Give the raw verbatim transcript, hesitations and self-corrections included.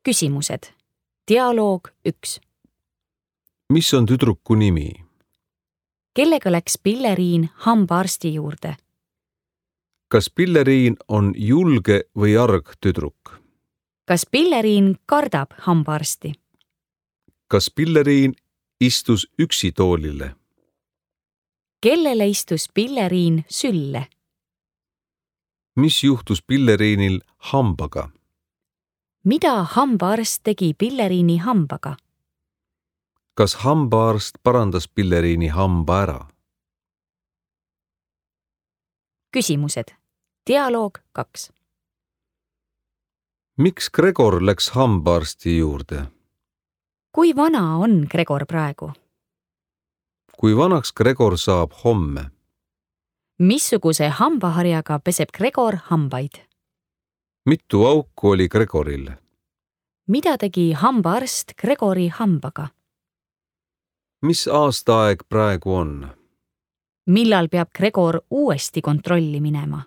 Küsimused. Dialoog üks. Mis on tüdruku nimi? Kellega läks Pilleriin hambaarsti juurde? Kas Pilleriin on julge või arg tüdruk? Kas Pilleriin kardab hambaarsti? Kas Pilleriin istus üksi toolile? Kellele istus Pilleriin sülle? Mis juhtus Pilleriinil hambaga? Mida hambaarst tegi Pilleriini hambaga? Kas hambaarst parandas Pilleriini hamba ära? Küsimused. Dialoog kaks. Miks Gregor läks hambaarsti juurde? Kui vana on Gregor praegu? Kui vanaks Gregor saab homme? Missuguse hambaharjaga peseb Gregor hambaid? Mitu auku oli Gregoril? Mida tegi hambaarst Gregori hambaga? Mis aastaaeg praegu on? Millal peab Gregor uuesti kontrolli minema?